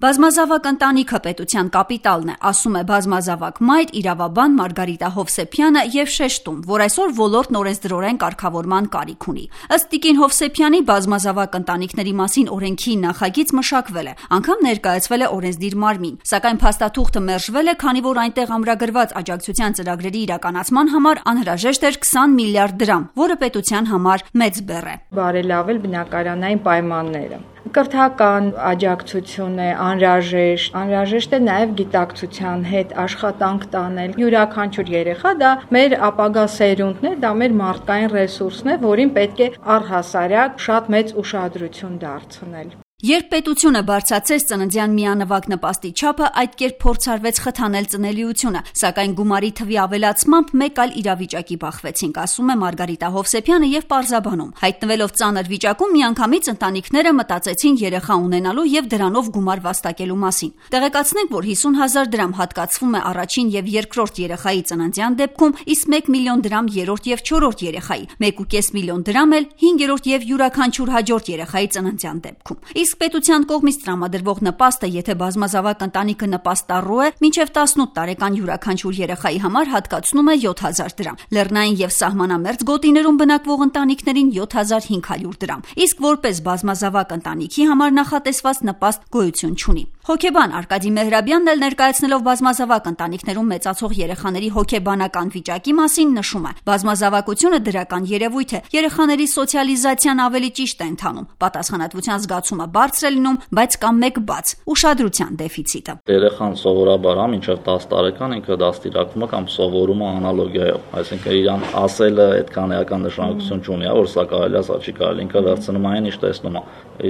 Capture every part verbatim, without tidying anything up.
Բազմազավակ ընտանիքը պետության կապիտալն է, ասում է բազմազավակ մայր, իրավաբան Մարգարիտա Հովսեփյանը եւ շեշտում, որ այսօր ոլորտն օրենսդրորեն կարգավորման կարիք ունի։ Ըստ Տիկին Հովսեփյանի բազմազավակ ընտանիքների մասին օրենքի նախագիծ մշակվել է, անգամ ներկայացվել է օրենսդիր մարմին, սակայն փաստաթուղթը մերժվել է, քանի որ այնտեղ ամրագրված աջակցության ծրագրերի իրականացման համար անհրաժեշտ էր քսան միլիարդ դրամ, որը պետության համար մեծ բեռ է։ Բարելավել բնակարանային պայմանները։ Կրթական աջակցություն է անհրաժեշտ, անհրաժեշտ է նաև գիտակցության հետ աշխատանք տանել։ Յուրաքանչյուր երեխա դա մեր ապագա սերունդն է, դա մեր մարդկային ռեսուրսն է, որին պետք է առհասարակ շատ մեծ ուշադրություն դարձնել։ Երբ պետությունը բարձրացրեց ծննդյան միանվագ նպաստի չափը, այդ կերպ փորձարվեց խթանել ծնելիությունը, սակայն գումարի թվի ավելացմամբ մեկ այլ իրավիճակի բախվեցինք, ասում է Մարգարիտա Հովսեփյանը եւ պարզաբանում։ Հայտնվելով ծանր վիճակում, միանգամից ընտանիքները մտածեցին երեխա ունենալու եւ դրանով գումար վաստակելու մասին։ Տեղեկացնենք, որ հիսուն հազար դրամ հատկացվում է առաջին եւ երկրորդ երեխայի ծննդյան դեպքում, իսկ մեկ միլիոն դրամ երրորդ եւ չորրորդ երեխայի, մեկ ու կես միլիոն դրամ էլ հինգերորդ եւ յուրաքանչյուր հաջորդ երեխայի ծննդյան դեպքում։ Իսկ պետության կողմից տրամադրվող նպաստը, եթե բազմազավակ ընտանիքը նպաստառու է, մինչև տասնութ տարեկան յուրաքանչյուր երեխայի համար հատկացնում է յոթ հազար դրամ, լեռնային եւ սահմանամերձ գոտիներում բնակվող ընտանիքներին յոթ հազար հինգ հարյուր դրամ, իսկ որպես բազմազավակ ընտանիքի համար նախատեսված նպաստ գոյություն չունի։ Հոգեբան Արկադի Մեհրաբյանն էլ ներկայացնելով բազմազավակ ընտանիքներում մեծացող երեխաների հոգեբանական վիճակի մասին նշում է. բազմազավակությունը դրական երևույթ է, երեխաների սոցիալիզացիան ավելի ճիշտ է ընթանում, պատասխանատվության զգացումը բարձր է լինում, բայց կա մեկ բաց՝ ուշադրության դեֆիցիտը։ Երեխան սովորաբար հա մինչև տասը տարեկան ինքը դաստիարակվում է կամ սովորում է անալոգիայով, այսինքն իրան ասելը այդքան էական նշանակություն չունի, որ սա կարելի է, սա չի կարելի, ինքը վերցնում այն ինչ տեսնում է,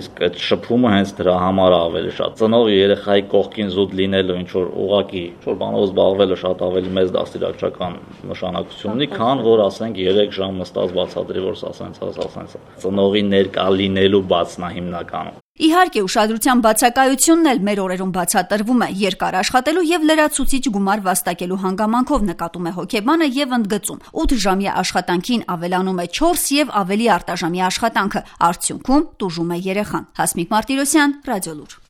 իսկ այդ շփումը հենց դրա համար է ավելի շատ։ Ծնող երեխայի կողքին զուտ լինելը ինչ որ ուղակի ինչ որ բանով զբաղվելը շատ ավելի մեծ դաստիարակչական նշանակություն ունի, քան որ ասենք երեք ժամ նստած բացատրի, որ սա սենց է, սա սենց է։ Ծնողի ներկա լինելու բացն է հիմնականում։ Իհարկե, ուշադրության բացակայությունն էլ մեր օրերում բացատրվում է երկար աշխատելու եւ լրացուցիչ գումար վաստակելու հանգամանքով, նկատում է հոգեբանը եւ ընդգծում. ութ ժամյա աշխատանքին ավելանում է չորս եւ ավելի արտաժամյա աշխատանքը, արդյունքում տուժում է երեխան։ Հասմիկ Մարտիրոսյան, Ռադիոլուր։